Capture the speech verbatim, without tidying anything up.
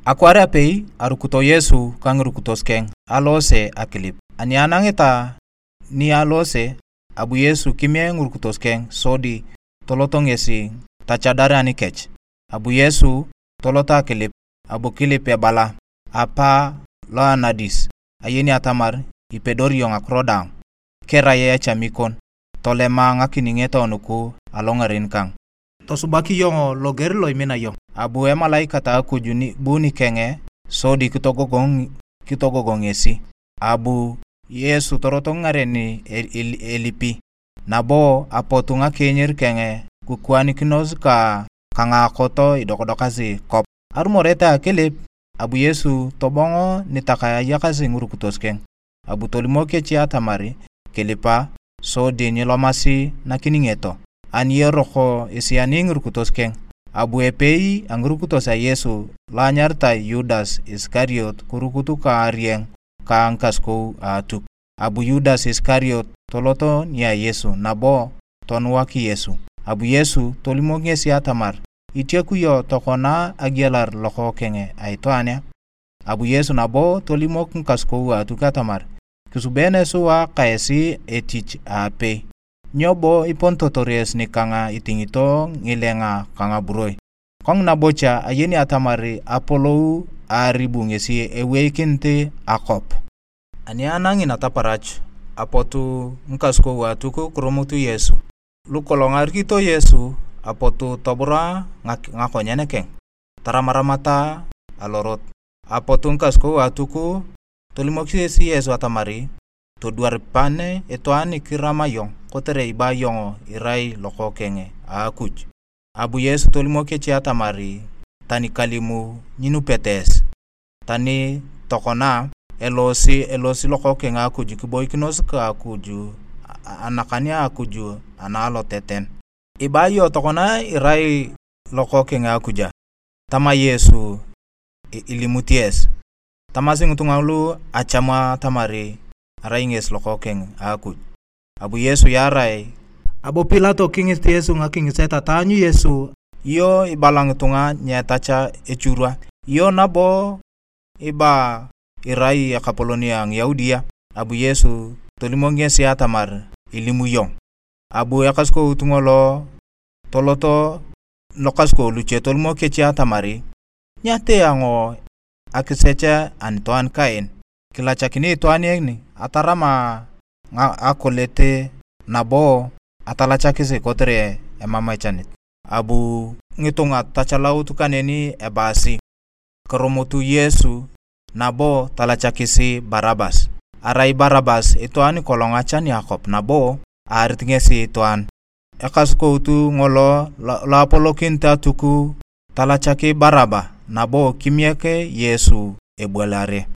Akwaar apei arukito Yesu ka ngirukitos keng alose akilip. Ani anangita ni alose, abu Yesu kimie ngirukitos keng sodi tolot ngesi tachadar anikech. Abu Yesu tolot akilip, abu kilip ebala, "Apa lo anadis, ayeni atamar ipedori iyong ngakiro daang. Kirai echami kon, tolema ngakiningeta nuku alongaren kang. Tosubak iyong loger lo imina iyong." Abu emalaikat a Akuj ni bu nikeng sodi kitogogong, kitogogong ngesi. Abu Yesu torotok ngaren el-, el-, elipi, nabo apotu ngakinyir keng kikuanikinos ka, ka ngakot idokadokasi kop. Arumorete akilip, abu Yesu tobongo nitakae ayakasi ngirukitos keng. Abu tolimok kech atamar kilipa sodi nyilomasi nakiningeto. Ani eroko esiani ngirukitos keng, abu epei a ngirukitos a Yesu lo anyaritai Yudas Isikariot kirukut ka arieng ka ngikasukou a Atuk. Abu Yudas Isikariot tolot nia Yesu nabo tonuak Yesu. Abu Yesu tolimok ngesi atamar, "Itiaku iyong tokona agialar Lokookeng a Itwaan a?" Abu Yesu nabo tolimok ngikasukou a Atuk atamar, "Kisubene sua ka esi etich aapei. Nyo bo iponitotor esi nikang itingito ngilenga ka ngaburoi? Kongina bocha ayeni atamar apolou a aribu ngesi eweikinit akwap." Ani anangi nataparach, apotu ngikasukou a Atuk kirumut Yesu. Lukolong arikito Yesu, apotu tobura ngak-, ngakonyen keng, taramaramata alorot. Apotu ngikasukou a Atuk tolimokis Yesu atamar, "Todwar pan itwaan ni kirama iyong, kotere iba iyong irai Lokookeng a Akuj." Abu Yesu tolimok kech atamar, "Tani kalimu, nyinupete esi. Tani tokona, elosi, elosi Lokookeng a Akuj kiboikinos ka Akuj, a-, anakan a Akuj ana aloteten. Iba iyong tokona irai Lokookeng a Akuj a?" Tama Yesu, "I-, ilimuti esi." Tamasi ngitunga lu acham atamar arai ngesi Lokookeng a Akuj. Abu Yesu yaarae. Abu Pilato kingit Yesu ngakingiset ataanyu Yesu. "Iyo ibala ngitunga nyetacha echurwa? Iyo nabo iba irai ekapolon a Ngiyaudi a?" Abu Yesu tolimok ngesi atamar, "Ilimu iyong." Abu ekasukout ngolo toloto lokasukou luche tolimok kech atamar, "Nyatee ayong akisech anitwaan kaen. Kilachakini itwaan en atarama nga-, akolet nabo atalachakis kotere emam echanit." Abu ngitunga tachalaut kaneni ebaasi, "Kirumut Yesu nabo talachakis Barabas." Arai Barabas itwaan kolong achan akwap nabo aarit ngesi itwaan. Ekasukout ngolo lo, lo apolokinit Atuk talachak Baraba nabo kimiek Yesu ebualare.